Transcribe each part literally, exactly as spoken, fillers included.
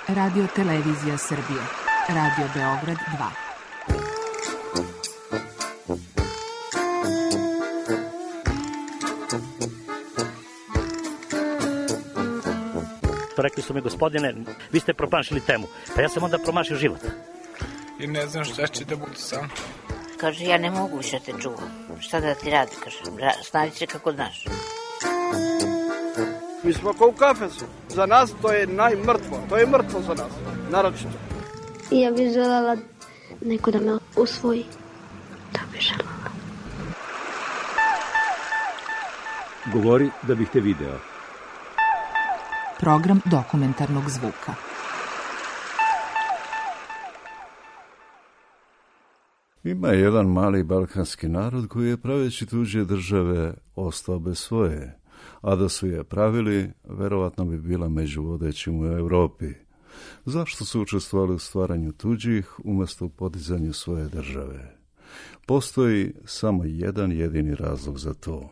Radio Televizija Srbije. Radio Beograd dva. Rekli su mi, gospodine, vi ste promašili temu. Pa ja sam onda promašio život. I ne znam šta će da bude sam. Kaže, ja ne mogu više te čuvam. Šta da ti radi, kaže, snađi se kako znaš. Mi smo kao u kafesu. Za nas to je najmrtvo. To je mrtvo za nas, naročito. Ja bih želela neko da me usvoji. To bih želela. Govori da bih te video. Program dokumentarnog zvuka. Ima jedan mali balkanski narod koji je praveći tuđe države ostao bez svoje, a da su je pravili, verovatno bi bila među vodećim u Evropi. Zašto su učestvovali u stvaranju tuđih umjesto u podizanju svoje države? Postoji samo jedan jedini razlog za to.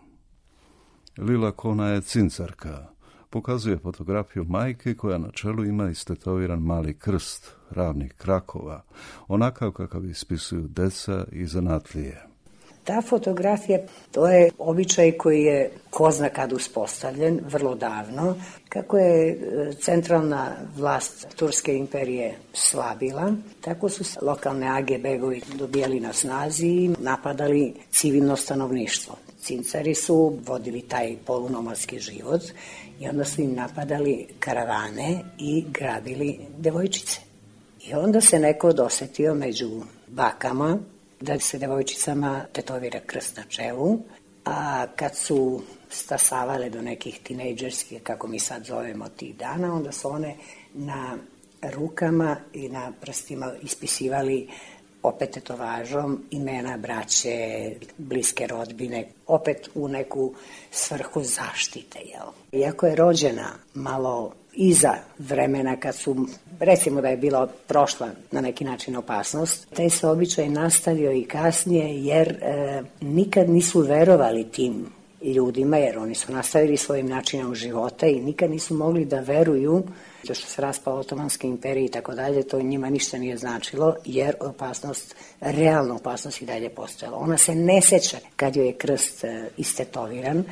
Lila Kona je cincarka. Pokazuje fotografiju majke koja na čelu ima istetoviran mali krst, ravnih krakova, onakav kakav ispisuju deca i zanatlije. Ta fotografija, to je običaj koji je ko zna kad uspostavljen, vrlo davno. Kako je centralna vlast Turske imperije slabila, tako su lokalne age begovi dobijali na snazi i napadali civilno stanovništvo. Cincari su vodili taj polunomadski život i onda su im napadali karavane i grabili devojčice. I onda se neko dosetio među bakama da se devojčicama tetovira krst na čelu, a kad su stasavale do nekih tinejdžerskih, kako mi sad zovemo tih dana, onda su one na rukama i na prstima ispisivali opet tetovažom imena braće, bliske rodbine, opet u neku svrhu zaštite. Jel? Iako je rođena malo iza vremena kad su, recimo da je bila prošla na neki način opasnost, taj se običaj nastavio i kasnije jer e, nikad nisu verovali tim ljudima, jer oni su nastavili svojim načinom života i nikad nisu mogli da veruju to što se raspao Otomanska imperija i tako dalje, to njima ništa nije značilo, jer opasnost, realna opasnost i dalje postojala. Ona se ne seća kad joj je krst e, istetoviran,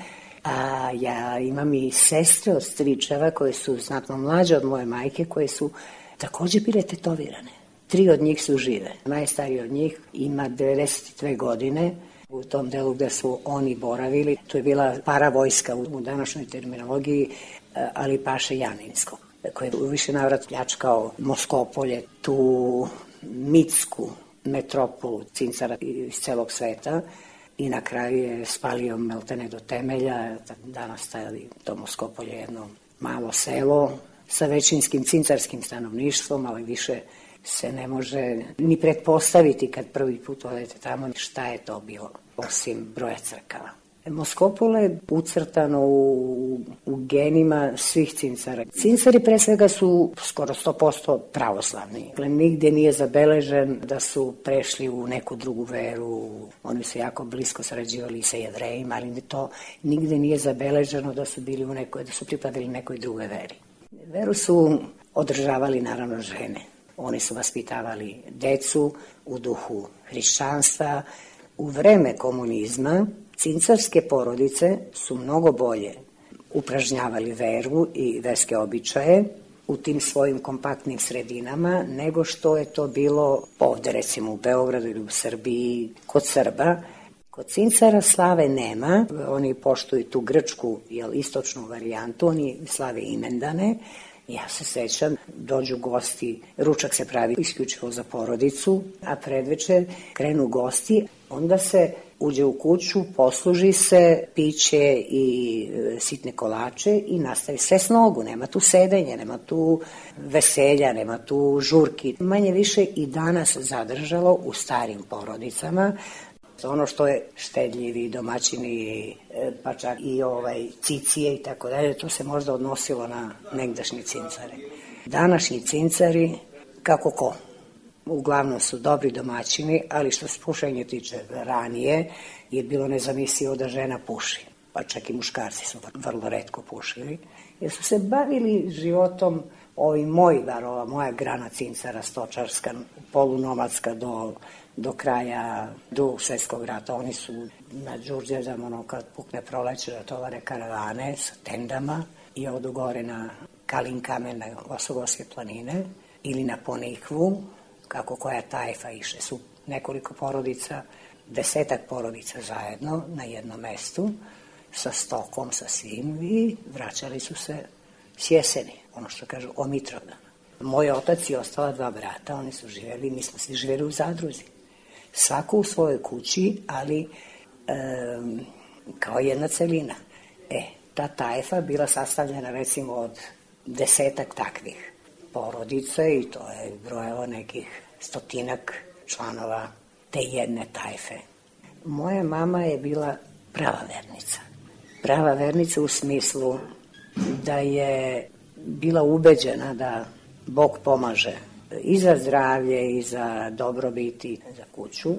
a ja imam i sestre od stričeva koje su znatno mlađe od moje majke, koje su također bile tetovirane. Tri od njih su žive. Najstariji od njih ima devedeset dve godine. U tom delu gde su oni boravili, to je bila paravojska u današnjoj terminologiji, ali Paše Janinsko, koji je u više navrat pljačkao Moskopolje, tu mitsku metropolu cincara iz celog sveta, i na kraju je spalio Meltene do temelja. Danas staje to Moskopolje jedno malo selo sa većinskim cincarskim stanovništvom, ali više se ne može ni pretpostaviti kad prvi put odete tamo šta je to bilo, osim broja crkava. Moskopole je ucrtano u, u genima svih cincara. Cincari pre svega su skoro sto posto pravoslavni. Dakle, nigde nije zabeležen da su prešli u neku drugu veru. Oni su jako blisko sarađivali sa Jevrejima, ali to nigde nije zabeleženo da su bili u nekoj, da su pripadali nekoj drugoj veri. Veru su održavali naravno žene. Oni su vaspitavali decu u duhu hrišćanstva. U vreme komunizma cincarske porodice su mnogo bolje upražnjavali veru i verske običaje u tim svojim kompaktnim sredinama nego što je to bilo ovde, recimo u Beogradu ili u Srbiji, kod Srba. Kod cincara slave nema, oni poštuju tu grčku, jel, istočnu varijantu, oni slave imendane. Ja se sećam, dođu gosti, ručak se pravi isključivo za porodicu, a predveče krenu gosti, onda se uđe u kuću, posluži se piće i e, sitne kolače i nastavi sve s nogu. Nema tu sedenja, nema tu veselja, nema tu žurki. Manje više i danas zadržalo u starim porodicama. Ono što je štedljivi domaćini, pa čak i ovaj cicije i tako dalje, to se možda odnosilo na negdašnje cincare. Današnji cincari, kako ko? Uglavnom su dobri domaćini, ali što se pušenja tiče ranije, je bilo nezamislivo da žena puši. pa čak i muškarci su vrlo retko pušili, jer su se bavili životom ovi moji, bar ova moja grana cincara, stočarska, polunomadska do, do kraja Drugog svjetskog rata. Oni su na Đurđevdan, ono kad pukne proleće, da tovare karavane sa tendama i odu gore na Kalin kamen na Osogorske planine ili na Ponikvu, kako koja tajfa iše. Su nekoliko porodica, desetak porodica zajedno na jednom mestu, sa stokom, sa svim, i vraćali su se s jeseni, ono što kažu o Mitrovdana. Moj otac i ostala dva brata, oni su živjeli, mi smo svi živjeli u zadruzi. Svako u svojoj kući, ali e, kao jedna celina. E, ta tajfa bila sastavljena recimo od desetak takvih porodica i to je brojalo nekih stotinak članova te jedne tajfe. Moja mama je bila prava vernica. Prava vernica u smislu da je bila ubeđena da Bog pomaže i za zdravlje i za dobrobit i za kuću.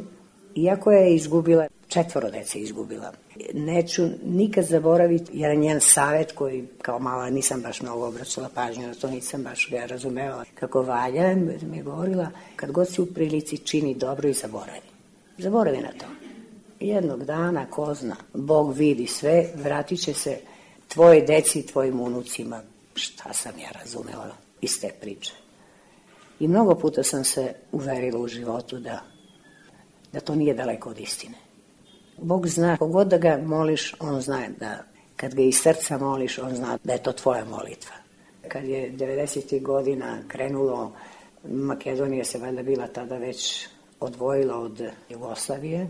Iako je izgubila, četvoro dece izgubila. Neću nikad zaboraviti jedan njen savjet koji kao mala nisam baš mnogo obraćala pažnju na to, nisam baš ga razumela kako valja. Mi je govorila, kad god si u prilici čini dobro i zaboravi. Zaboravi na to. Jednog dana, ko zna, Bog vidi sve, vratit će se tvoje deci i tvojim unucima. Šta sam ja razumela iz te priče. I mnogo puta sam se uverila u životu da, da to nije daleko od istine. Bog zna, kogod da ga moliš, on zna da kad ga iz srca moliš, on zna da je to tvoja molitva. Kad je devedesetih godina krenulo, Makedonija se valjda bila tada već odvojila od Jugoslavije,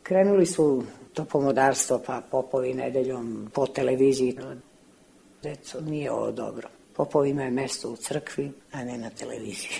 krenuli su to pomodarstvo, pa popovi nedeljom po televiziji. Deco, nije ovo dobro. Popovi imaju mesto u crkvi, a ne na televiziji.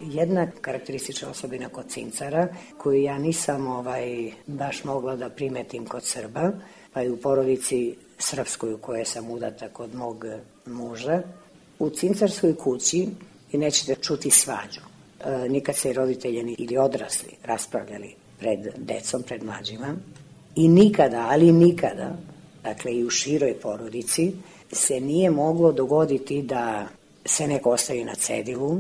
Jedna karakteristična osobina kod cincara, koju ja nisam ovaj, baš mogla da primetim kod Srba, pa i u porodici srpskoj u kojoj sam udata kod mog muža, u cincarskoj kući i nećete čuti svađu. E, nikad se roditelji ili odrasli raspravljali pred decom, pred mlađima i nikada, ali nikada, dakle i u široj porodici, se nije moglo dogoditi da se neko ostavi na cedilu.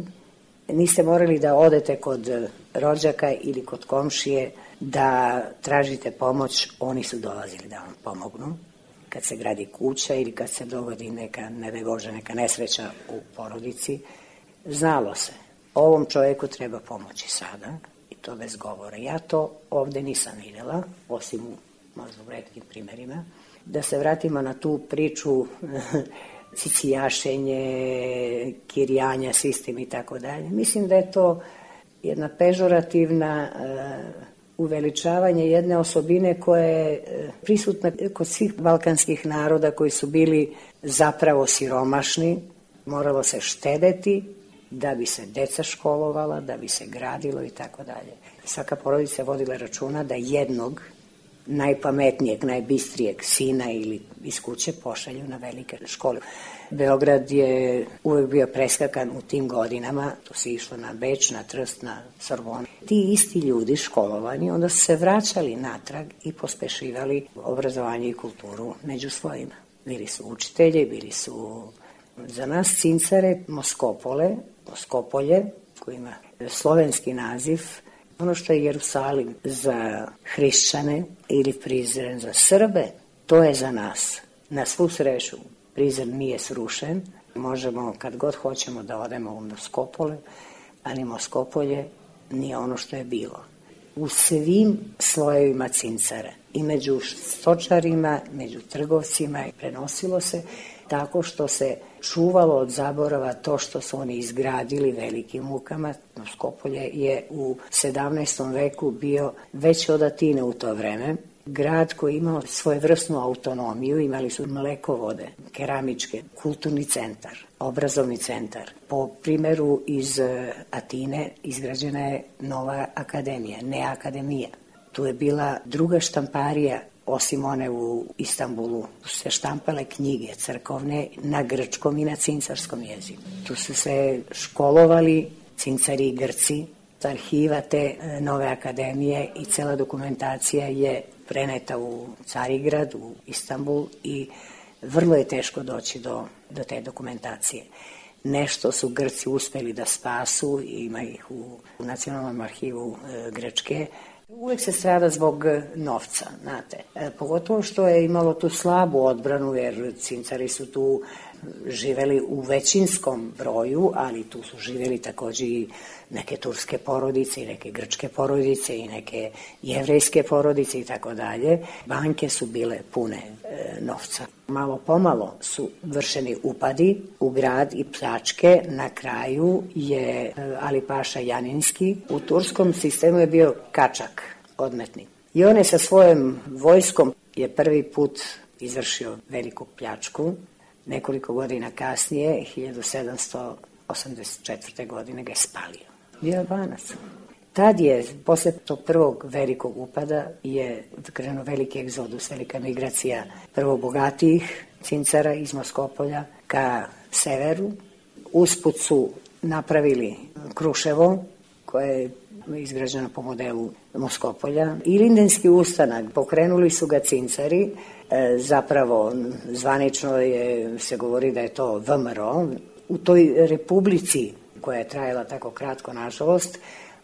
Niste morali da odete kod rođaka ili kod komšije da tražite pomoć, oni su dolazili da vam pomognu. Kad se gradi kuća ili kad se dogodi neka, ne daj Bože, neka nesreća u porodici, znalo se, ovom čovjeku treba pomoći sada i to bez govora. Ja to ovde nisam vidjela, osim u možda u retkim primerima. Da se vratimo na tu priču cicijašenje, kirjanja, sistem i tako dalje. Mislim da je to jedna pežorativna uh, uveličavanje jedne osobine koja je uh, prisutna kod svih balkanskih naroda koji su bili zapravo siromašni. Moralo se štedeti da bi se deca školovala, da bi se gradilo i tako dalje. Svaka porodica vodila računa da jednog najpametnijeg, najbistrijeg sina ili iz kuće pošalju na velike škole. Beograd je uvek bio preskakan u tim godinama, to se išlo na Beč, na Trst, na Sorbonu. Ti isti ljudi školovani onda su se vraćali natrag i pospešivali obrazovanje i kulturu među svojima. Bili su učitelji, bili su za nas cincare Moskopole, Moskopolje, koji ima slovenski naziv. Ono što je Jerusalim za hrišćane ili Prizren za Srbe, to je za nas. Na svu sreću, Prizren nije srušen. Možemo kad god hoćemo da odemo u Moskopole, ali Moskopolje nije ono što je bilo. u svim slojevima cincara. I među stočarima, među trgovcima i prenosilo se tako što se čuvalo od zaborava to što su oni izgradili velikim mukama. Skopolje je u sedamnaestom veku bio veći od Atine u to vreme. Grad koji je imao svojevrsnu autonomiju, imali su mlekovode, keramičke, kulturni centar, obrazovni centar. Po primeru iz Atine izgrađena je nova akademija, ne akademija. Tu je bila druga štamparija, osim one u Istanbulu. Tu su se štampale knjige crkovne na grčkom i na cincarskom jeziku. Tu su se školovali cincari i Grci. Arhiva te nove akademije i cela dokumentacija je preneta u Carigrad, u Istanbul i vrlo je teško doći do, do te dokumentacije. Nešto su Grci uspeli da spasu, ima ih u, u Nacionalnom arhivu e, Grčke. Uvek se strada zbog novca, znate. E, pogotovo što je imalo tu slabu odbranu, jer cincari su tu živeli u većinskom broju, ali tu su živeli takođe i neke turske porodice i neke grčke porodice i neke jevrejske porodice i tako dalje. Banke su bile pune e, novca. Malo pomalo su vršeni upadi u grad i pljačke. Na kraju je e, Ali Paša Janinski u turskom sistemu je bio kačak, odmetnik. I on je sa svojom vojskom je prvi put izvršio veliku pljačku. Nekoliko godina kasnije, hiljadu sedamsto osamdeset četvrte. godine ga je spalio. Bio Albanac. Tad je, posle tog prvog velikog upada, je krenuo veliki egzodus, velika migracija prvo bogatijih cincara iz Moskopolja ka severu. Usput su napravili Kruševo, koje je izgrađeno po modelu Moskopolja. I Lindenski ustanak, pokrenuli su ga cincari, e, zapravo zvanično je, se govori da je to V M R O. U toj republici koja je trajala tako kratko, nažalost,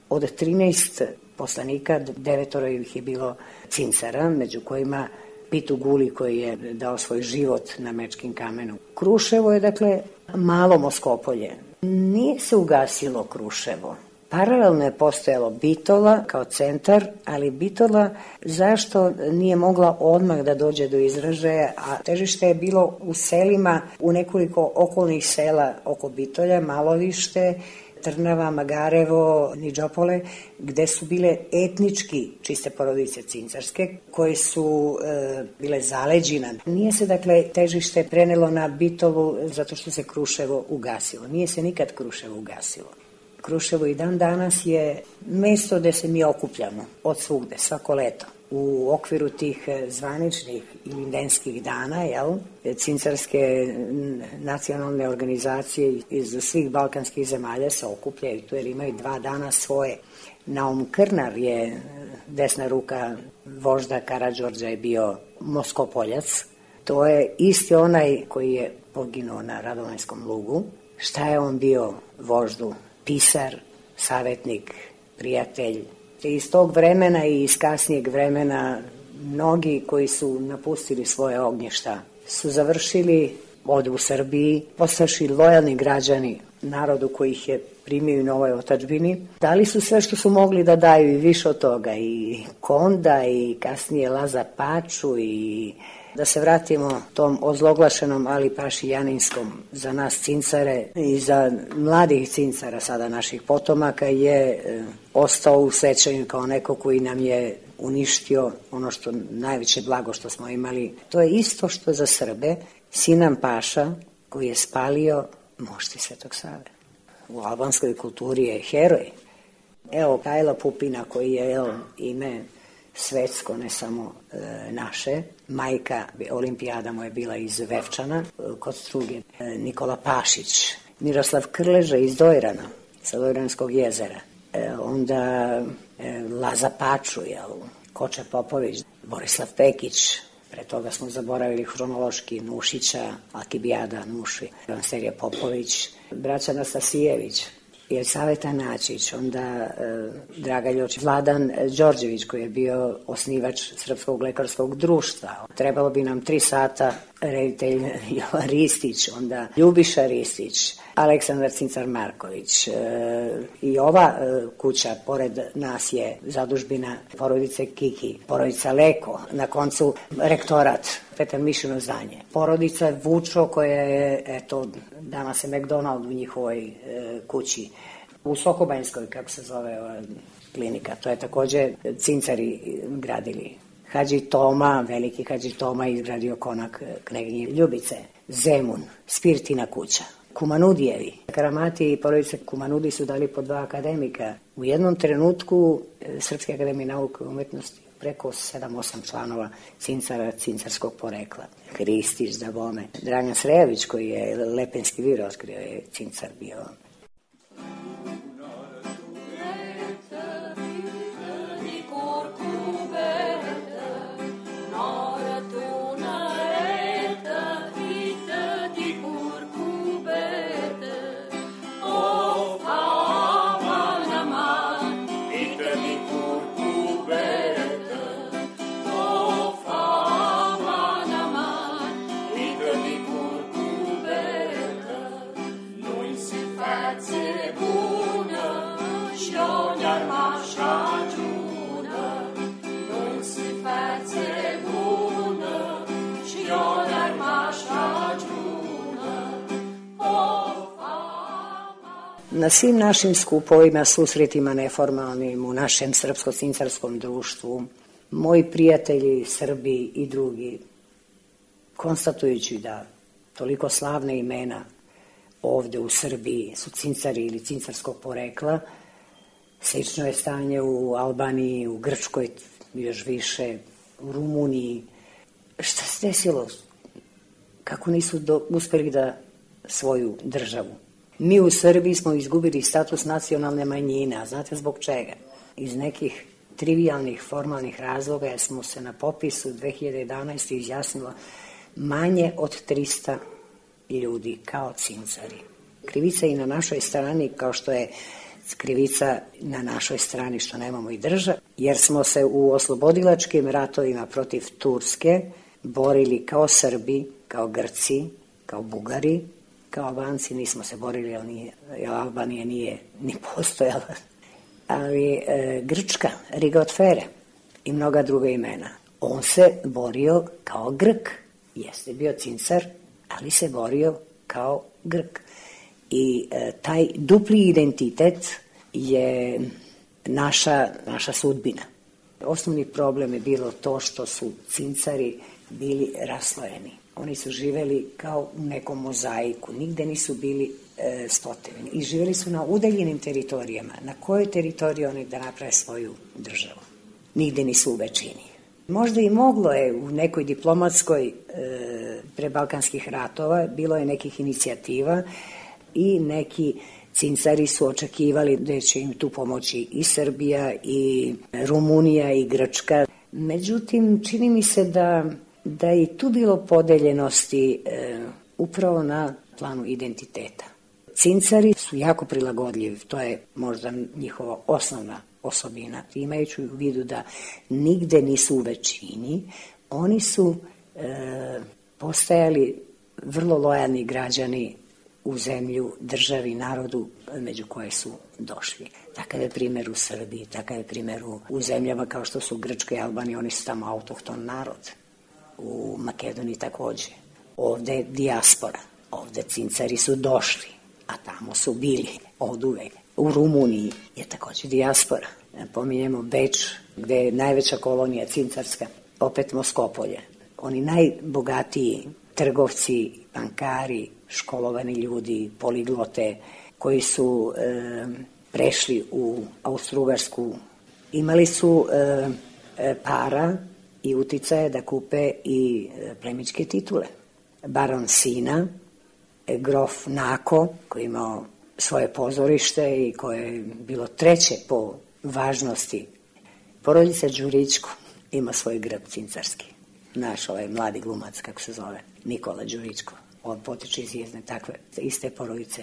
od trinaest poslanika, devetoro ih je bilo cincara, među kojima Pitu Guli koji je dao svoj život na Mečkim kamenu. Kruševo je, dakle, malo Moskopolje. Nije se ugasilo Kruševo. Paralelno je postojalo Bitola kao centar, ali Bitola zašto nije mogla odmah da dođe do izražaja, a težište je bilo u selima, u nekoliko okolnih sela oko Bitolja, Malovište, Trnava, Magarevo, Niđopole, gde su bile etnički čiste porodice cincarske, koje su e, bile zaleđina. Nije se, dakle, težište prenelo na Bitolu zato što se Kruševo ugasilo. Nije se nikad Kruševo ugasilo. Kruševo i dan danas je mesto gde se mi okupljamo od svugde, svako leto. U okviru tih zvaničnih i lindenskih dana, jel, cincarske nacionalne organizacije iz svih balkanskih zemalja se okupljaju tu jer imaju dva dana svoje. Naum Krnar je desna ruka vožda Karađorđa je bio Moskopoljac. To je isti onaj koji je poginuo na Radovanjskom lugu. Šta je on bio voždu? Pisar, savetnik, prijatelj. Iz tog vremena i iz kasnijeg vremena mnogi koji su napustili svoje ognjišta su završili ovde u Srbiji, postaši lojalni građani narodu koji ih je primio na ovoj otadžbini. Dali su sve što su mogli da daju i više od toga, i Konda i kasnije Laza Paču. I da se vratimo tom ozloglašenom Ali Paši Janinskom, za nas cincare i za mladih cincara sada naših potomaka je e, ostao u sećanju kao neko koji nam je uništio ono što najveće blago što smo imali. To je isto što za Srbe Sinan Paša koji je spalio mošti Svetog Save. U albanskoj kulturi je heroj. Evo Kajla Pupina koji je evo, ime svetsko, ne samo e, naše. Majka olimpijada mu je bila iz Vevčana, e, kod Struge. E, Nikola Pašić, Miroslav Krleža iz Dojrana, sa Dojranskog jezera. E, onda e, Laza Paču, jel, Koča Popović, Borislav Pekić, pre toga smo zaboravili hronološki Nušića, Alkibijada, Nuši, Serija Popović, braća Nastasijević. Jelisaveta Načić, onda e, Draga Ljočić, Vladan Đorđević koji je bio osnivač Srpskog lekarskog društva. Trebalo bi nam tri sata, reditelj Jovan Ristić, onda Ljubiša Ristić, Aleksandar Cincar Marković. E, I ova e, kuća pored nas je zadužbina porodice Kiki, porodica Leko, na koncu rektorat Petar Mišino zdanje. Porodica Vučo koja je, eto, dama se McDonald u njihovoj e, kući. U Sokobanjskoj, kako se zove ova klinika, to je takođe Cincari gradili. Hadži Toma, veliki Hadži Toma izgradio konak Kneginje Ljubice. Zemun, Spirtina kuća. Kumanudijevi. Karamati i porodice Kumanudi su dali po dva akademika. U jednom trenutku Srpske akademije nauke i umetnosti preko sedam osam članova Cincara, cincarskog porekla. Hristić, da bome. Dragan Srejović, koji je Lepenski vir otkrio, je Cincar bio. Na svim našim skupovima, susretima neformalnim u našem srpsko-cincarskom društvu, moji prijatelji, Srbi i drugi, konstatujući da toliko slavne imena ovde u Srbiji su cincari ili cincarskog porekla, slično je stanje u Albaniji, u Grčkoj još više, u Rumuniji. Šta se desilo? Kako nisu do, uspeli da svoju državu? Mi u Srbiji smo izgubili status nacionalne manjine, a znate zbog čega? Iz nekih trivijalnih, formalnih razloga jer smo se na popisu dve hiljade jedanaeste. izjasnilo manje od trista ljudi kao cincari. Krivica i na našoj strani, kao što je krivica na našoj strani što nemamo i državu, jer smo se u oslobodilačkim ratovima protiv Turske borili kao Srbi, kao Grci, kao Bugari, kao Albanci. Nismo se borili, jer, nije, jer Albanija nije ni postojala. Ali e, Grčka, Riga od Fere i mnoga druga imena. On se borio kao Grk. Jeste bio cincar, ali se borio kao Grk. I e, taj dupli identitet je naša, naša sudbina. Osnovni problem je bilo to što su cincari bili raslojeni. Oni su živeli kao u nekom mozaiku, nigde nisu bili e, stoteveni i živeli su na udaljenim teritorijama. Na kojoj teritoriji oni da naprave svoju državu? Nigde nisu u većini. Možda i moglo je u nekoj diplomatskoj e, pre balkanskih ratova, bilo je nekih inicijativa i neki cincari su očekivali da će im tu pomoći i Srbija i Rumunija i Grčka. Međutim, čini mi se da da je i tu bilo podeljenosti e, upravo na planu identiteta. Cincari su jako prilagodljivi, to je možda njihova osnovna osobina. Imajući u vidu da nigde nisu u većini, oni su e, postajali vrlo lojalni građani u zemlju, državi, narodu među koje su došli. Takav je primjer u Srbiji, takav je primjer u, u zemljama kao što su Grčka i Albanija, oni su tamo autohton narod. U Makedoniji takođe. Ovde je dijaspora, ovde cincari su došli, a tamo su bili od uvek. U Rumuniji je takođe dijaspora. Pominjemo Beč, gde je najveća kolonija cincarska, opet Moskopolje. Oni najbogatiji trgovci, bankari, školovani ljudi, poliglote, koji su e, prešli u Austrougarsku, imali su e, e, para i uticaje da kupe i plemićke titule. Baron Sina, grof Nako, koji je imao svoje pozorište i koje je bilo treće po važnosti. Porodica Đurićko ima svoj grb cincarski. Naš ovaj mladi glumac, kako se zove, Nikola Đurićko. on potiče iz jedne takve iste porodice.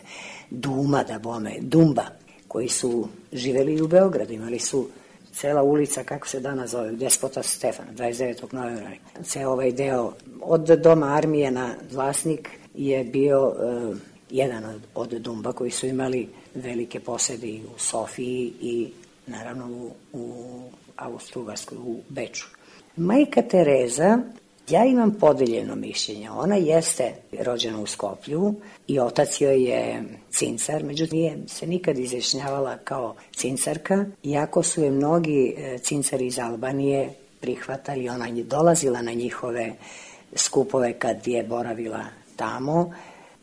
Duma, da bome, Dumba, koji su živeli u Beogradu, imali su cela ulica, kako se danas zove, Despota Stefana, dvadeset devetog novembra. Ceo ovaj deo od Doma armije na Vlasnik je bio uh, jedan od, od Dumba koji su imali velike posede i u Sofiji i naravno u, u Austro-Ugarskoj, u Beču. Majka Tereza, ja imam podeljeno mišljenje. Ona jeste rođena u Skoplju i otac joj je cincar, međutim nije se nikad izjašnjavala kao cincarka, iako su je mnogi cincari iz Albanije prihvatali. Ona je dolazila na njihove skupove kad je boravila tamo.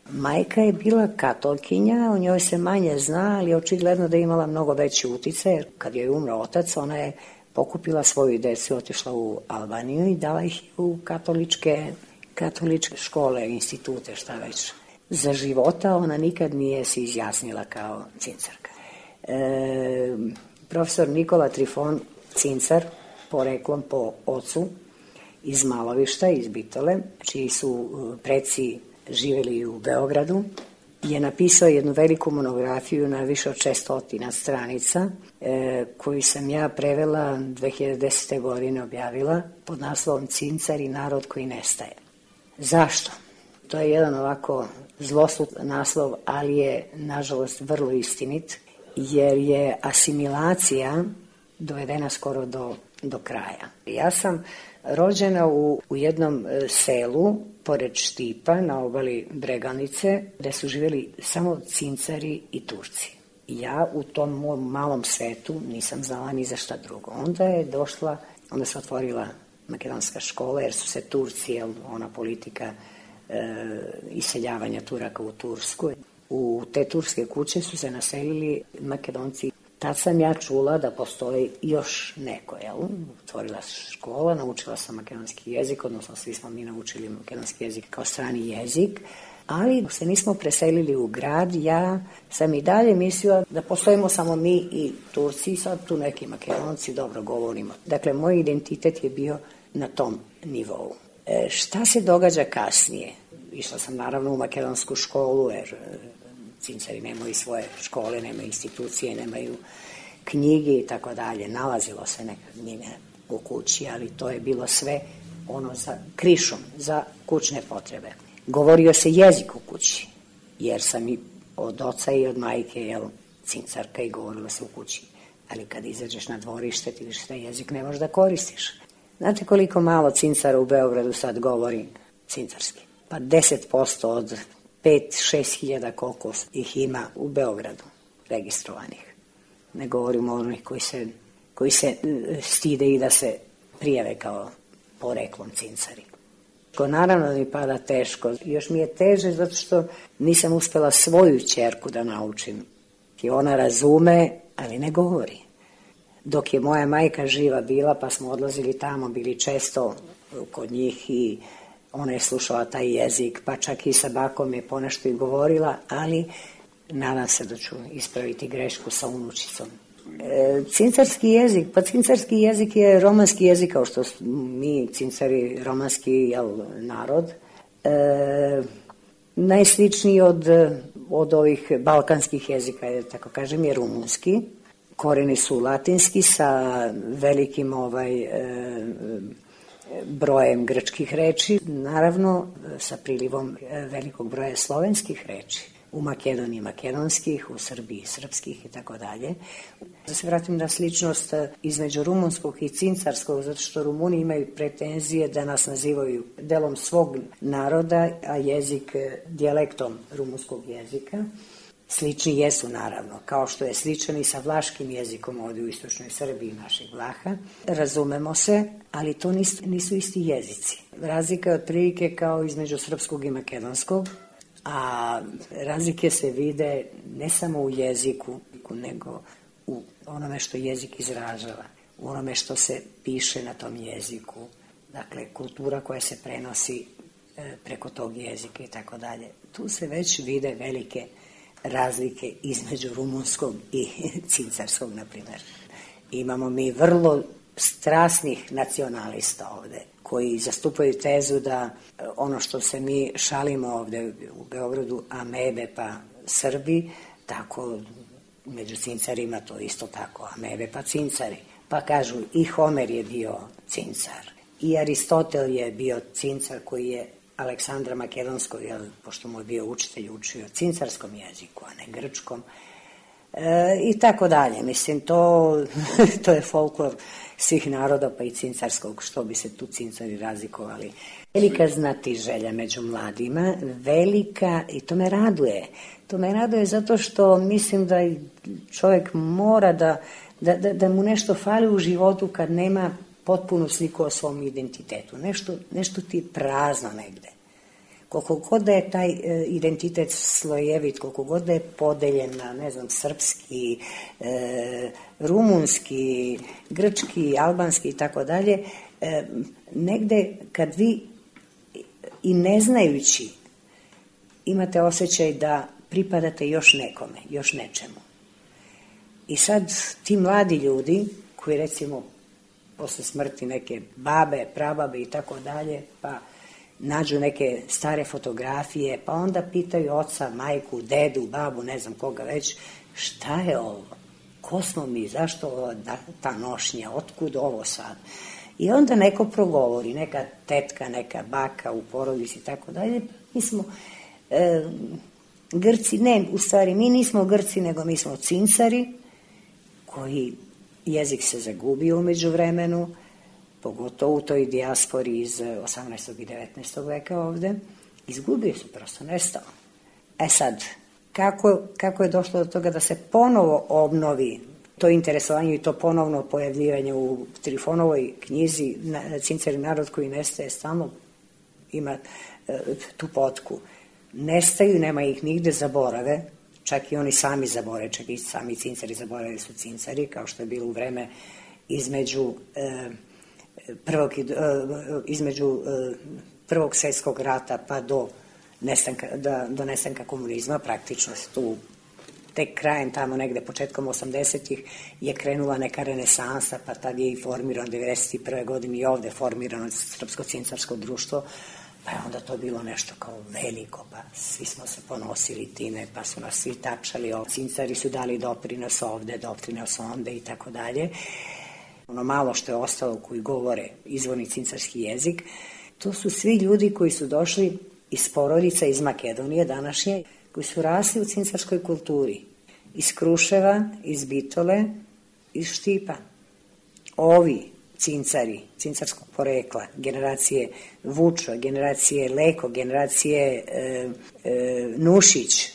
Majka je bila katolkinja, o njoj se manje zna, ali očigledno da je imala mnogo veći uticaj, jer kad je umro otac, ona je pokupila svoju decu, otišla u Albaniju i dala ih u katoličke, katoličke škole, institute, šta već. Za života ona nikad nije se izjasnila kao cincarka. E, profesor Nikola Trifon, cincar, poreklom po ocu, iz Malovišta, iz Bitole, čiji su preci živeli u Beogradu, je napisao jednu veliku monografiju na više od šestotina stranica, e, koju sam ja prevela dve hiljade desete. godine objavila pod naslovom Cincar i narod koji nestaje. Zašto? To je jedan ovako zlosut naslov, ali je nažalost vrlo istinit, jer je asimilacija dovedena skoro do, do kraja. Ja sam rođena u, u jednom selu pored Štipa na obali Breganice, gde su živjeli samo cincari i Turci. Ja u tom mom malom svetu nisam znala ni za šta drugo. Onda je došla, onda se otvorila makedonska škola, jer su se Turci, jel, ona politika e, iseljavanja Turaka u Tursku. U te turske kuće su se naselili Makedonci. Tad sam ja čula da postoji još neko, jel? Otvorila škola, naučila sam makedonski jezik, odnosno svi smo mi naučili makedonski jezik kao strani jezik, ali se nismo preselili u grad. Ja sam i dalje mislila da postojimo samo mi i Turci, sad tu neki Makedonci dobro govorimo. Dakle, moj identitet je bio na tom nivou. E, šta se događa kasnije? Išla sam naravno u makedonsku školu, jer cincari nemaju svoje škole, nemaju institucije, nemaju knjige i tako dalje. Nalazilo se nekad njime u kući, ali to je bilo sve ono za krišom, za kućne potrebe. Govorio se jezik u kući, jer sam i od oca i od majke, jel, cincarka, i govorilo se u kući. Ali kad izađeš na dvorište, ti vidiš da jezik ne možeš da koristiš. Znate koliko malo cincara u Beogradu sad govori cincarski? Pa deset posto od pet šest hiljada koliko ih ima u Beogradu registrovanih. Ne govorimo o onih koji se, koji se stide i da se prijave kao poreklom cincari. Naravno da mi pada teško. Još mi je teže zato što nisam uspela svoju ćerku da naučim. I ona razume, ali ne govori. Dok je moja majka živa bila, pa smo odlazili tamo, bili često kod njih i ona je slušala taj jezik, pa čak i sa bakom je ponešto i govorila, ali nadam se da ću ispraviti grešku sa unučicom. E, cincarski jezik, pa cincarski jezik je romanski jezik, kao što mi cincari romanski, jel, narod. E, najsličniji od, od ovih balkanskih jezika, je, tako kažem, je rumunski. Koreni su latinski sa velikim ovaj... E, brojem grčkih reči, naravno sa prilivom velikog broja slovenskih reči. U Makedoniji makedonskih, u Srbiji srpskih i tako dalje. Da se vratim na sličnost između rumunskog i cincarskog, zato što Rumuni imaju pretenzije da nas nazivaju delom svog naroda, a jezik dijalektom rumunskog jezika. Slični jesu, naravno, kao što je sličan i sa vlaškim jezikom ovdje u istočnoj Srbiji našeg Vlaha. Razumemo se, ali to nisu, nisu isti jezici. Razlika je otprilike kao između srpskog i makedonskog, a razlike se vide ne samo u jeziku, nego u onome što jezik izražava, u onome što se piše na tom jeziku. Dakle, kultura koja se prenosi preko tog jezika i tako dalje. Tu se već vide velike razlike između rumunskog i cincarskog, na primjer. Imamo mi vrlo strasnih nacionalista ovde, koji zastupaju tezu da ono što se mi šalimo ovde u Beogradu, amebe pa Srbi, tako među cincarima to isto tako, amebe pa cincari. Pa kažu i Homer je bio cincar, i Aristotel je bio cincar koji je Aleksandra Makedonskog, jel, pošto mu je bio učitelj, učio cincarskom jeziku, a ne grčkom. E, I tako dalje. Mislim, to, to je folklor svih naroda, pa i cincarskog, što bi se tu cincari razlikovali. Velika znatiželja među mladima, velika, i to me raduje. To me raduje zato što mislim da čovjek mora da, da, da, da mu nešto fali u životu kad nema potpunu sliku o svom identitetu. Nešto, nešto ti je prazno negde. Koliko god da je taj e, identitet slojevit, koliko god da je podeljen na, ne znam, srpski, e, rumunski, grčki, albanski i tako dalje, e, negde kad vi i ne znajući imate osjećaj da pripadate još nekome, još nečemu. I sad ti mladi ljudi koji recimo posle smrti neke babe, prababe i tako dalje, pa nađu neke stare fotografije, pa onda pitaju oca, majku, dedu, babu, ne znam koga već, šta je ovo? Ko smo mi? Zašto ovo, ta nošnja? Otkud ovo sad? I onda neko progovori, neka tetka, neka baka u porodici i tako dalje. Mi smo e, Grci, ne, u stvari mi nismo Grci, nego mi smo cincari, koji jezik se zagubio umeđu vremenu, pogotovo u toj dijaspori iz osamnaestog i devetnaestog veka ovde, izgubio se, prosto nestao. E sad, kako, kako je došlo do toga da se ponovo obnovi to interesovanje i to ponovno pojavljivanje u Trifonovoj knjizi Cincari narod koji nestaje, stalno ima e, tu potku. Nestaju, nema ih nigde, zaborave, čak i oni sami zaborave, čak i sami cincari zaborave su cincari, kao što je bilo u vreme između e, prvog, e, između e, prvog svjetskog rata pa do nestanka, da, do nestanka komunizma, praktično tu tek krajem tamo negde početkom osamdesetih je krenula neka renesansa, pa tad je i formirano devedeset prve godine i ovde formirano Srpsko cincarsko društvo, pa je onda to bilo nešto kao veliko, pa svi smo se ponosili time, pa su nas svi tapšali, cincari su dali doprinos ovde, doprinos onde i tako dalje. Ono malo što je ostalo koji govore izvorni cincarski jezik, to su svi ljudi koji su došli iz porodica iz Makedonije današnje, koji su rasli u cincarskoj kulturi, iz Kruševa, iz Bitole, iz Štipa. Ovi cincari, cincarskog porekla, generacije Vučo, generacije Leko, generacije e, e, Nušić,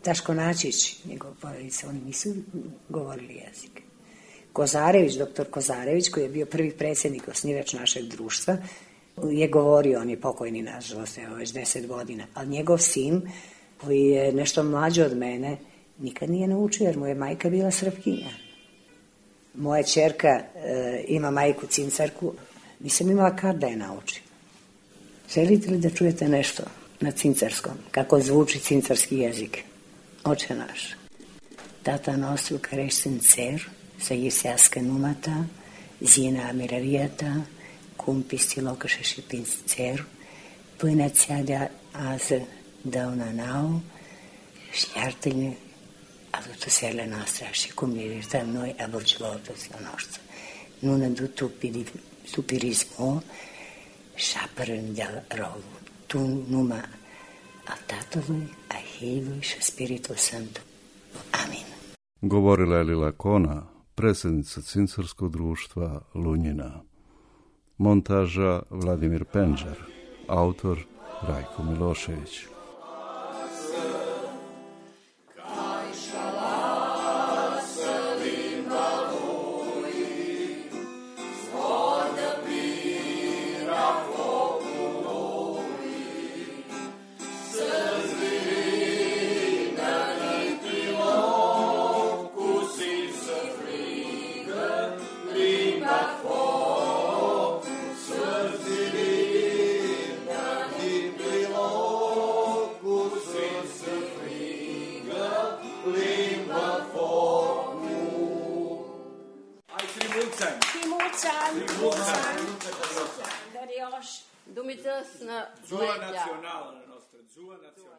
Daško Načić, njegov porodica, oni nisu govorili jezik. Kozarević, doktor Kozarević, koji je bio prvi predsjednik, osnivač našeg društva, je govorio, on je pokojni, nažalost, evo već deset godina, ali njegov sin, koji je nešto mlađi od mene, nikad nije naučio, jer mu je majka bila Srpkinja. Moja ćerka e, ima majku cincarku, nisam imala kad da je naučim. Želite li da čujete nešto na cincarskom, kako zvuči cincarski jezik? Oče naš. Tata nostru care ești în cer, să iusească numata, zina miravieta, cum pistilocășe și prin cer, până ți-a de azi dăuna nau, știartă-ne avutuserile noastre și cum ne iertăm noi aburgilotuților noștri. Nu ne du tu tupirismo și apărând de rău. Tu numai al Tatălui, a Fiului și Spiritul Sfânt. Amin. Govorila je Lila Kona, predsjednica Cincarskog društva Lunjina. Montaža Vladimir Penđar, autor Rajko Milošević. Oh Timucan. Timucan. Timucan. Timucan. Darioš. Dumitas na Zua nazionale nostra, zua nazionale.